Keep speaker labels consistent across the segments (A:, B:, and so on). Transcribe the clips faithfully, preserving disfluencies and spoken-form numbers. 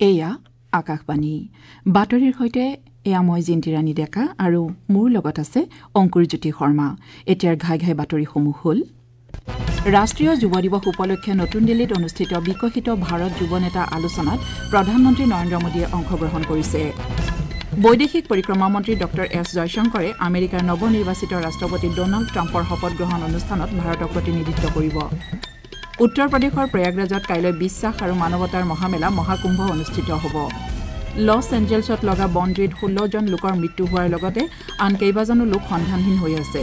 A: এয়া আকাশবাণী বাতৰিৰ সৈতে এয়া মই জিন্তিৰাণী ডেকা আৰু মোৰ লগত আছে অংকুৰজ্যোতি শৰ্মা। এতিয়াৰ ঘাই ঘাই বাতৰিসমূহ হ'ল: ৰাষ্ট্ৰীয় যুৱ দিৱস উপলক্ষে নতুন দিল্লীত অনুষ্ঠিত বিকশিত ভাৰত যুৱ নেতা আলোচনাত প্ৰধানমন্ত্ৰী নৰেন্দ্ৰ মোদীয়ে অংশগ্ৰহণ কৰিছে। বৈদেশিক পৰিক্ৰমা মন্ত্ৰী ডঃ এছ জয়শংকৰে আমেৰিকাৰ নৱনিৰ্বাচিত ৰাষ্ট্ৰপতি ডনাল্ড ট্ৰাম্পৰ শপত গ্ৰহণ অনুষ্ঠানত ভাৰতক প্ৰতিনিধিত্ব কৰিব। উত্তৰ প্ৰদেশৰ প্ৰয়াগৰাজত কাইলৈ বিশ্বাস আৰু মানৱতাৰ মহামেলা মহাকুম্ভ অনুষ্ঠিত হ'ব। লছ এঞ্জেলছত লগা বনজুইত ষোল্লজন লোকৰ মৃত্যু হোৱাৰ লগতে আন কেইবাজনো লোক সন্ধানহীন হৈ আছে।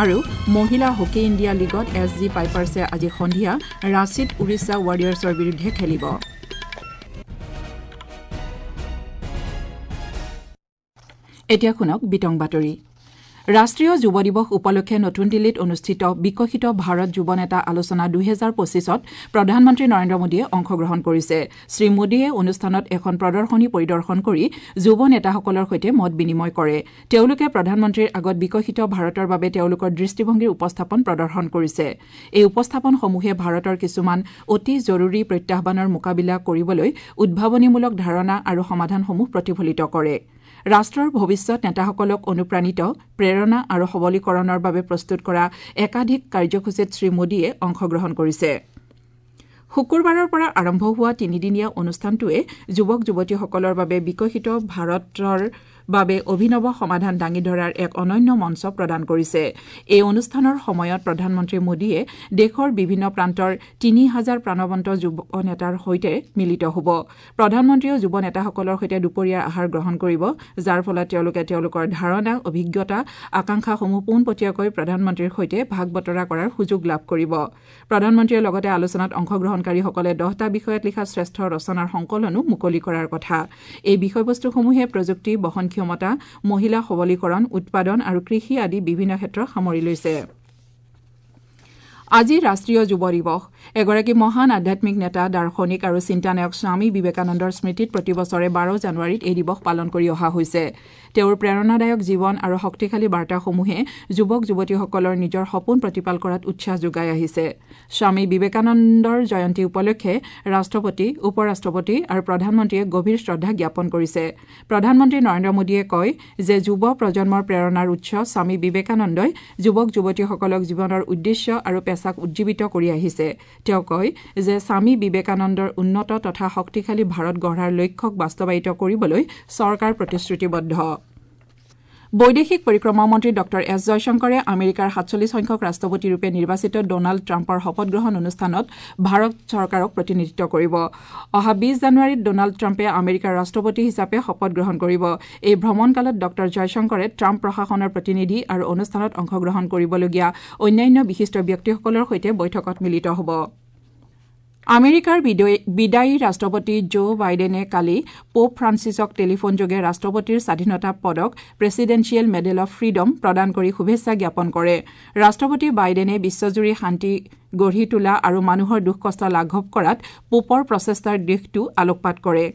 A: আৰু মহিলা হকী ইণ্ডিয়া লীগত এছ জি পাইপাৰ্ছে আজি সন্ধিয়া ৰাঁচীত উৰিষ্যা ৱাৰিয়াৰ্ছৰ বিৰুদ্ধে খেলিব। এতিয়া শুনক বিতং বাতৰি। ৰাষ্ট্ৰীয় যুৱ দিৱস উপলক্ষে নতুন দিল্লীত অনুষ্ঠিত বিকশিত ভাৰত যুৱ নেতা আলোচনা দুহেজাৰ পঁচিছত প্ৰধানমন্ত্ৰী নৰেন্দ্ৰ মোদীয়ে অংশগ্ৰহণ কৰিছে। শ্ৰী মোদীয়ে অনুষ্ঠানত এখন প্ৰদৰ্শনী পৰিদৰ্শন কৰি যুৱ নেতাসকলৰ সৈতে মত বিনিময় কৰে। তেওঁলোকে প্ৰধানমন্ত্ৰীৰ আগত বিকশিত ভাৰতৰ বাবে তেওঁলোকৰ দৃষ্টিভংগীৰ উপস্থাপন প্ৰদৰ্শন কৰিছে। এই উপস্থাপনসমূহে ভাৰতৰ কিছুমান অতি জৰুৰী প্ৰত্যাহ্বানৰ মোকাবিলা কৰিবলৈ উদ্ভাৱনীমূলক ধাৰণা আৰু সমাধানসমূহ প্ৰতিফলিত কৰে। ৰাষ্ট্ৰৰ ভৱিষ্যত নেতাসকলক অনুপ্ৰাণিত, প্ৰেৰণা আৰু সবলীকৰণৰ বাবে প্ৰস্তুত কৰা একাধিক কাৰ্যসূচীত শ্ৰী মোদীয়ে অংশগ্ৰহণ কৰিছে। শুকুৰবাৰৰ পৰা আৰম্ভ হোৱা তিনিদিনীয়া অনুষ্ঠানটোৱে যুৱক যুৱতীসকলৰ বাবে বিকশিত ভাৰতৰ বাবে অভিনৱ সমাধান দাঙি ধৰাৰ এক অনন্য মঞ্চ প্ৰদান কৰিছে। এই অনুষ্ঠানৰ সময়ত প্ৰধানমন্ত্ৰী মোদীয়ে দেশৰ বিভিন্ন প্ৰান্তৰ তিনি হাজাৰ প্ৰাণৱন্ত যুৱ নেতাৰ সৈতে মিলিত হ'ব। প্ৰধানমন্ত্ৰীয়েও যুৱ নেতাসকলৰ সৈতে দুপৰীয়াৰ আহাৰ গ্ৰহণ কৰিব, যাৰ ফলত তেওঁলোকে তেওঁলোকৰ ধাৰণা, অভিজ্ঞতা, আকাংক্ষাসমূহ পোনপটীয়াকৈ প্ৰধানমন্ত্ৰীৰ সৈতে ভাগ বতৰা কৰাৰ সুযোগ লাভ কৰিব। প্ৰধানমন্ত্ৰীয়ে লগতে আলোচনাত অংশগ্ৰহণকাৰীসকলে দহটা বিষয়ত লিখা শ্ৰেষ্ঠ ৰচনাৰ সংকলনো মুকলি কৰাৰ কথা। এই বিষয়বস্তুসমূহে প্ৰযুক্তি, বহন ক্ষমতা, মহিলা সবলীকৰণ, উৎপাদন আৰু কৃষি আদি বিভিন্ন ক্ষেত্ৰ সামৰি লৈছে। আজি ৰাষ্ট্ৰীয় যুৱ দিৱস। এগৰাকী মহান আধ্যাত্মিক নেতা, দাৰ্শনিক আৰু চিন্তানায়ক স্বামী বিবেকানন্দৰ স্মৃতিত প্ৰতি বছৰে বাৰ জানুৱাৰীত এই দিৱস পালন কৰি অহা হৈছে। তেওঁৰ প্ৰেৰণাদায়ক জীৱন আৰু শক্তিশালী বাৰ্তাসমূহে যুৱক যুৱতীসকলৰ নিজৰ সপোন প্ৰতিপাল কৰাত উৎসাহ যোগাই আহিছে। স্বামী বিবেকানন্দৰ জয়ন্তী উপলক্ষে ৰাষ্ট্ৰপতি, উপ ৰাষ্ট্ৰপতি আৰু প্ৰধানমন্ত্ৰীয়ে গভীৰ শ্ৰদ্ধা জ্ঞাপন কৰিছে। প্ৰধানমন্ত্ৰী নৰেন্দ্ৰ মোদীয়ে কয় যে যুৱ প্ৰজন্মৰ প্ৰেৰণাৰ উৎস স্বামী বিবেকানন্দই যুৱক যুৱতীসকলক জীৱনৰ উদ্দেশ্য আৰু পেছাক উজ্জীৱিত কৰি আহিছে। তেওঁ কয় যে স্বামী বিবেকানন্দৰ উন্নত তথা শক্তিশালী ভাৰত গঢ়াৰ লক্ষ্যক বাস্তৱায়িত কৰিবলৈ চৰকাৰ প্ৰতিশ্ৰুতিবদ্ধ। বৈদেশিক পৰিক্ৰমা মন্ত্ৰী ডঃ এছ জয়শংকৰে আমেৰিকাৰ সাতচল্লিছ সংখ্যক ৰাষ্ট্ৰপতিৰূপে নিৰ্বাচিত ডনাল্ড ট্ৰাম্পৰ শপত গ্ৰহণ অনুষ্ঠানত ভাৰত চৰকাৰক প্ৰতিনিধিত্ব কৰিব। অহা বিছ জানুৱাৰীত ডনাল্ড ট্ৰাম্পে আমেৰিকাৰ ৰাষ্ট্ৰপতি হিচাপে শপত গ্ৰহণ কৰিব। এই ভ্ৰমণকালত ডঃ জয়শংকৰে ট্ৰাম্প প্ৰশাসনৰ প্ৰতিনিধি আৰু অনুষ্ঠানত অংশগ্ৰহণ কৰিবলগীয়া অন্যান্য বিশিষ্ট ব্যক্তিসকলৰ সৈতে বৈঠকত মিলিত হ'ব। আমেৰিকাৰ বিদায়ী ৰাষ্ট্ৰপতি জো বাইডেনে কালি পোপ ফ্ৰান্সিছক টেলিফোনযোগে ৰাষ্ট্ৰপতিৰ স্বাধীনতা পদক প্ৰেছিডেন্সিয়েল মেডেল অৱ ফ্ৰীডম প্ৰদান কৰি শুভেচ্ছা জ্ঞাপন কৰে। ৰাষ্ট্ৰপতি বাইডেনে বিশ্বজুৰি শান্তি গঢ়ি তোলা আৰু মানুহৰ দুখ কষ্ট লাঘৱ কৰাত পোপৰ প্ৰচেষ্টাৰ দিশটো আলোকপাত কৰে।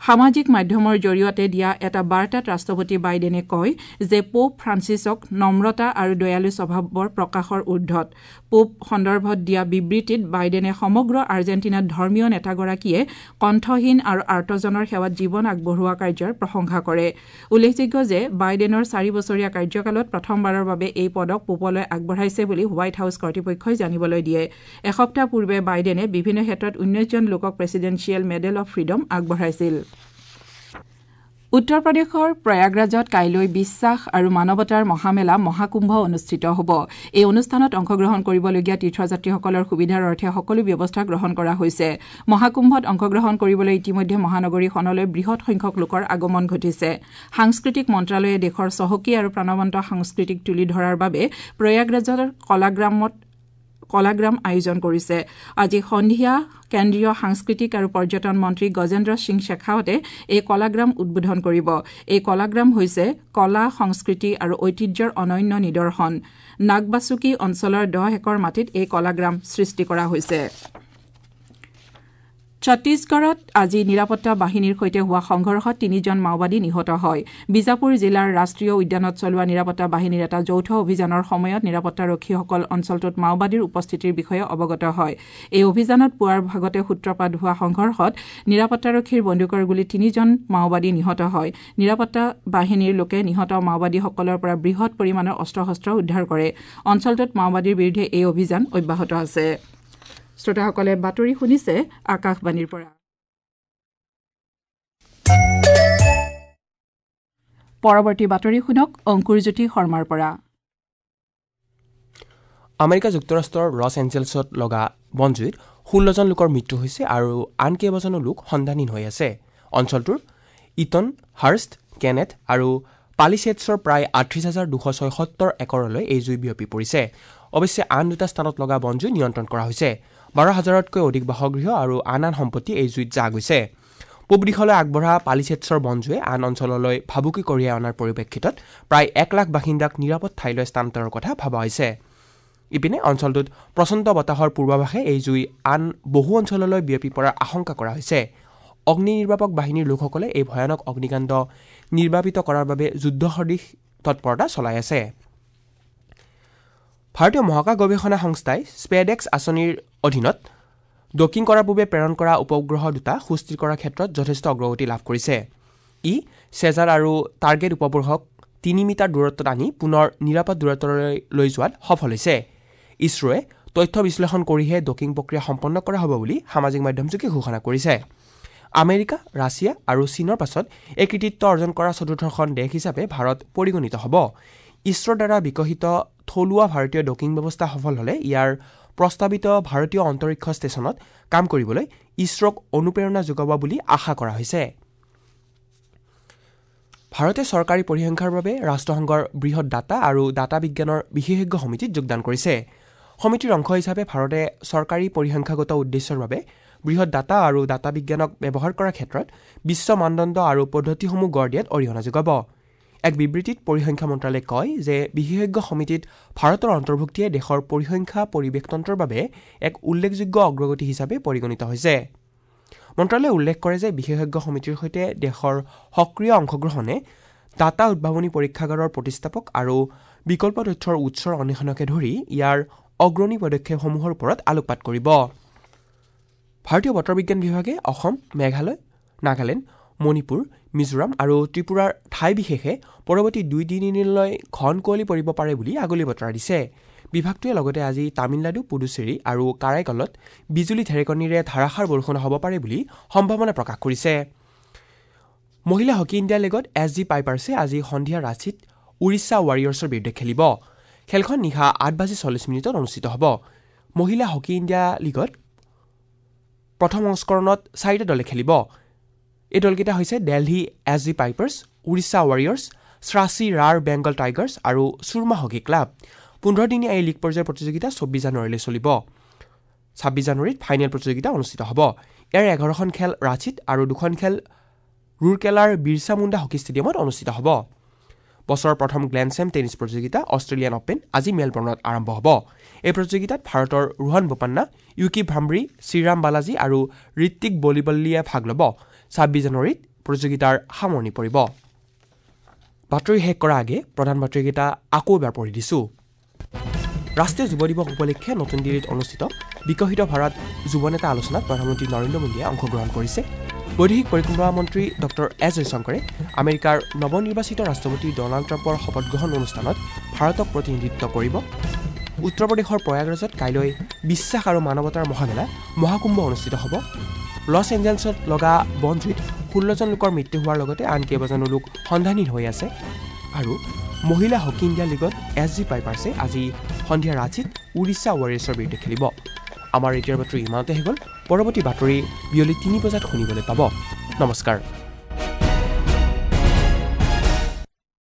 A: সামাজিক মাধ্যমৰ জৰিয়তে দিয়া এটা বাৰ্তাত ৰাষ্ট্ৰপতি বাইডেনে কয় যে পোপ ফ্ৰান্সিছক নম্ৰতা আৰু দয়ালু স্বভাৱৰ প্ৰকাশৰ ঊৰ্ধত। পোপ সন্দৰ্ভত দিয়া বিবৃতিত বাইডেনে সমগ্ৰ আৰ্জেণ্টিনাত ধৰ্মীয় নেতাগৰাকীয়ে কণ্ঠহীন আৰু আৰ্তজনৰ সেৱাত জীৱন আগবঢ়োৱা কাৰ্যৰ প্ৰশংসা কৰে। উল্লেখযোগ্য যে বাইডেনৰ চাৰি বছৰীয়া কাৰ্যকালত প্ৰথমবাৰৰ বাবে এই পদক পোপলৈ আগবঢ়াইছে বুলি হোৱাইট হাউছ কৰ্তৃপক্ষই জানিবলৈ দিয়ে। এসপ্তাহ পূৰ্বে বাইডেনে বিভিন্ন ক্ষেত্ৰত ঊনৈছজন লোকক প্ৰেছিডেন্সিয়েল মেডেল অৱ ফ্ৰীডম আগবঢ়াইছিল। উত্তৰ প্ৰদেশৰ প্ৰয়াগৰাজত কাইলৈ বিশ্বাস আৰু মানৱতাৰ মহামেলা মহাকুম্ভ অনুষ্ঠিত হ'ব। এই অনুষ্ঠানত অংশগ্ৰহণ কৰিবলগীয়া তীৰ্থযাত্ৰীসকলৰ সুবিধাৰ অৰ্থে সকলো ব্যৱস্থা গ্ৰহণ কৰা হৈছে। মহাকুম্ভত অংশগ্ৰহণ কৰিবলৈ ইতিমধ্যে মহানগৰীখনলৈ বৃহৎ সংখ্যক লোকৰ আগমন ঘটিছে। সাংস্কৃতিক মন্ত্ৰালয়ে দেশৰ চহকী আৰু প্ৰাণৱন্ত সংস্কৃতিক তুলি ধৰাৰ বাবে প্ৰয়াগৰাজৰ কলাগ্ৰামত কলাগ্ৰাম আয়োজন কৰিছে। আজি সন্ধিয়া কেন্দ্ৰীয় সাংস্কৃতিক আৰু পৰ্যটন মন্ত্ৰী গজেন্দ্ৰ সিং শেখাৱতে এই কলাগ্ৰাম উদ্বোধন কৰিব। এই কলাগ্ৰাম হৈছে কলা, সংস্কৃতি আৰু ঐতিহ্যৰ অনন্য নিদৰ্শন। নাগবাচুকি অঞ্চলৰ দহ একৰ মাটিত এই কলাগ্ৰাম সৃষ্টি কৰা হৈছে। ছত্তীশগড়ত আজি নিৰাপত্তা বাহিনীৰ সৈতে হোৱা সংঘৰ্ষত তিনিজন মাওবাদী নিহত হয়। বিজাপুৰ জিলাৰ ৰাষ্ট্ৰীয় উদ্যানত চলোৱা নিৰাপত্তা বাহিনীৰ এটা যৌথ অভিযানৰ সময়ত নিৰাপত্তাৰক্ষীসকল অঞ্চলটোত মাওবাদীৰ উপস্থিতিৰ বিষয়ে অৱগত হয়। এই অভিযানত পুৱাৰ ভাগতে সূত্ৰপাত হোৱা সংঘৰ্ষত নিৰাপত্তাৰক্ষীৰ বন্দুকৰ গুলীত তিনিজন মাওবাদী নিহত হয়। নিৰাপত্তা বাহিনীৰ লোকে নিহত মাওবাদীসকলৰ পৰা বৃহৎ পৰিমাণৰ অস্ত্ৰ শস্ত্ৰ উদ্ধাৰ কৰে। অঞ্চলটোত মাওবাদীৰ বিৰুদ্ধে এই অভিযান অব্যাহত আছে। শ্ৰোতাসকলে বাতৰি শুনিছে আকাশবাণীৰ পৰা। পৰৱৰ্তী বাতৰি শুনক অংকুৰজ্যোতি শৰ্মাৰ পৰা।
B: আমেৰিকা যুক্তৰাষ্ট্ৰৰ লছ এঞ্জেলছত লগা বনজুইত ষোল্লজন লোকৰ মৃত্যু হৈছে আৰু আন কেইবাজনো লোক সন্ধানহীন হৈ আছে। অঞ্চলটোৰ ইটন, হাৰ্ষ্ট, কেনেথ আৰু পালিছেটছৰ প্ৰায় আঠত্ৰিছ হাজাৰ দুশ ছয়সত্তৰ একৰলৈ এই জুই বিয়পি পৰিছে। অৱশ্যে আন দুটা স্থানত লগা বনজুই নিয়ন্ত্ৰণ কৰা হৈছে। বাৰ হাজাৰতকৈ অধিক বাসগৃহ আৰু আন আন সম্পত্তি এই জুইত জাহ গৈছে। পূব দিশলৈ আগবঢ়া পালিছেটছৰ বনজুয়ে আন অঞ্চললৈ ভাবুকি কঢ়িয়াই অনাৰ পৰিপ্ৰেক্ষিতত প্ৰায় এক লাখ বাসিন্দাক নিৰাপদ ঠাইলৈ স্থানান্তৰৰ কথা ভবা হৈছে। ইপিনে অঞ্চলটোত প্ৰচণ্ড বতাহৰ পূৰ্বাভাসে এই জুই আন বহু অঞ্চললৈ বিয়পি পৰাৰ আশংকা কৰা হৈছে। অগ্নি নিৰ্বাপক বাহিনীৰ লোকসকলে এই ভয়ানক অগ্নিকাণ্ড নিৰ্বাপিত কৰাৰ বাবে যুদ্ধসদৃশ তৎপৰতা চলাই আছে। ভাৰতীয় মহাকাশ গৱেষণা সংস্থাই স্পেডেক্স আঁচনিৰ অধীনত ডকিং কৰাৰ পূৰ্বে প্ৰেৰণ কৰা উপগ্ৰহ দুটা সুস্থিৰ কৰাৰ ক্ষেত্ৰত যথেষ্ট অগ্ৰগতি লাভ কৰিছে। ই চেজাৰ আৰু টাৰ্গেট উপগ্ৰহক তিনি মিটাৰ দূৰত্বত আনি পুনৰ নিৰাপদ দূৰত্বলৈ লৈ যোৱাত সফল হৈছে। ইছৰোৱে তথ্য বিশ্লেষণ কৰিহে ডকিং প্ৰক্ৰিয়া সম্পন্ন কৰা হ'ব বুলি সামাজিক মাধ্যমযোগে ঘোষণা কৰিছে। আমেৰিকা, ৰাছিয়া আৰু চীনৰ পাছত এই কৃতিত্ব অৰ্জন কৰা চতুৰ্থখন দেশ হিচাপে ভাৰত পৰিগণিত হ'ব। ইছৰোৰ দ্বাৰা বিকশিত থলুৱা ভাৰতীয় ডকিং ব্যৱস্থা সফল হ'লে ইয়াৰ প্ৰস্তাৱিত ভাৰতীয় অন্তৰীক্ষ ষ্টেচনত কাম কৰিবলৈ ইছৰোক অনুপ্ৰেৰণা যোগাব বুলি আশা কৰা হৈছে। ভাৰতে চৰকাৰী পৰিসংখ্যাৰ বাবে ৰাষ্ট্ৰসংঘৰ বৃহৎ ডাটা আৰু ডাটা বিজ্ঞানৰ বিশেষজ্ঞ সমিতিত যোগদান কৰিছে। সমিতিৰ অংশ হিচাপে ভাৰতে চৰকাৰী পৰিসংখ্যাগত উদ্দেশ্যৰ বাবে বৃহৎ ডাটা আৰু ডাটা বিজ্ঞানক ব্যৱহাৰ কৰাৰ ক্ষেত্ৰত বিশ্ব মানদণ্ড আৰু পদ্ধতিসমূহ গঢ় দিয়াত অৰিহণা যোগাব। এক বিবৃতিত পৰিসংখ্যা মন্ত্ৰালয়ে কয় যে বিশেষজ্ঞ সমিতিত ভাৰতৰ অন্তৰ্ভুক্তিয়ে দেশৰ পৰিসংখ্যা পৰিৱেশতন্ত্ৰৰ বাবে এক উল্লেখযোগ্য অগ্ৰগতি হিচাপে পৰিগণিত হৈছে। মন্ত্ৰালয়ে উল্লেখ কৰে যে বিশেষজ্ঞ সমিতিৰ সৈতে দেশৰ সক্ৰিয় অংশগ্ৰহণে ডাটা উদ্ভাৱনী পৰীক্ষাগাৰৰ প্ৰতিষ্ঠাপক আৰু বিকল্প তথ্যৰ উৎসৰ অন্বেষণকে ধৰি ইয়াৰ অগ্ৰণী পদক্ষেপসমূহৰ ওপৰত আলোকপাত কৰিব। ভাৰতীয় বতৰ বিজ্ঞান বিভাগে অসম, মেঘালয়, নাগালেণ্ড, মণিপুৰ, মিজোৰাম আৰু ত্ৰিপুৰাৰ ঠাই বিশেষে পৰৱৰ্তী দুই তিনিদিনলৈ ঘন কুঁৱলী পৰিব পাৰে বুলি আগলি বতৰা দিছে। বিভাগটোৱে লগতে আজি তামিলনাডু, পুডুচেৰী আৰু কাৰাইকলত বিজুলী ঢেৰেকনিৰে ধাৰাসাৰ বৰষুণ হ'ব পাৰে বুলি সম্ভাৱনা প্ৰকাশ কৰিছে। মহিলা হকী ইণ্ডিয়া লীগত এছ জি পাইপাৰ্ছে আজি সন্ধিয়া ৰাঁচীত উৰিষ্যা ৱাৰিয়ৰ্ছৰ বিৰুদ্ধে খেলিব। খেলখন নিশা আঠ বাজি চল্লিছ মিনিটত অনুষ্ঠিত হ'ব। মহিলা হকী ইণ্ডিয়া লীগত প্ৰথম সংস্কৰণত চাৰিটা দলে খেলিব। এই দলকেইটা হৈছে Delhi S G Pipers, Orissa Warriors, Srasi Royal Bengal Tigers আৰু চুৰমা হকী ক্লাব। পোন্ধৰদিনীয়া এই লীগ পৰ্যায়ৰ প্ৰতিযোগিতা চৌব্বিছ জানুৱাৰীলৈ চলিব। ছাব্বিছ জানুৱাৰীত ফাইনেল প্ৰতিযোগিতা অনুষ্ঠিত হ'ব। ইয়াৰ এঘাৰখন খেল ৰাঁচীত আৰু দুখন খেল ৰুৰকেলাৰ বিৰছা মুণ্ডা হকী ষ্টেডিয়ামত অনুষ্ঠিত হ'ব। বছৰৰ প্ৰথম গ্লেণ্ডছেম টেনিছ প্ৰতিযোগিতা অষ্ট্ৰেলিয়ান অপেন আজি মেলবৰ্ণত আৰম্ভ হ'ব। এই প্ৰতিযোগিতাত ভাৰতৰ ৰোহন বোপান্না, ইউকি ভাম্ব্ৰি, শ্ৰীৰাম বালাজী আৰু ঋত্বিক বলিবল্লীয়ে ভাগ ল'ব। ছাব্বিছ জানুৱাৰীত প্ৰতিযোগিতাৰ সামৰণি পৰিব। বাতৰি শেষ কৰাৰ আগে প্ৰধান বাতৰিকেইটা আকৌ এবাৰ পঢ়ি দিছোঁ। ৰাষ্ট্ৰীয় যুৱ দিৱস উপলক্ষে নতুন দিল্লীত অনুষ্ঠিত বিকশিত ভাৰত যুৱ নেতা আলোচনাত প্ৰধানমন্ত্ৰী নৰেন্দ্ৰ মোদীয়ে অংশগ্ৰহণ কৰিছে। বৈদেশিক পৰিক্ৰমা মন্ত্ৰী ডক্টৰ এছ জয়শংকৰে আমেৰিকাৰ নৱনিৰ্বাচিত ৰাষ্ট্ৰপতি ডনাল্ড ট্ৰাম্পৰ শপতগ্ৰহণ অনুষ্ঠানত ভাৰতক প্ৰতিনিধিত্ব কৰিব। উত্তৰ প্ৰদেশৰ প্ৰয়াগৰাজত কাইলৈ বিশ্বাস আৰু মানৱতাৰ মহামেলা মহাকুম্ভ অনুষ্ঠিত হ'ব। লছ এঞ্জেলছত লগা বনজুইত ষোল্লজন লোকৰ মৃত্যু হোৱাৰ লগতে আন কেইবাজনো লোক সন্ধানহীন হৈ আছে। আৰু মহিলা হকী ইণ্ডিয়া লীগত এছ জি পাইপাৰ্ছে আজি সন্ধিয়া ৰাঁচীত উৰিষ্যা ৱাৰিয়ৰ্ছৰ বিৰুদ্ধে খেলিব। আমাৰ এতিয়াৰ বাতৰি ইমানতে হৈ গ'ল। পৰৱৰ্তী বাতৰি বিয়লি তিনি বজাত শুনিবলৈ পাব। নমস্কাৰ।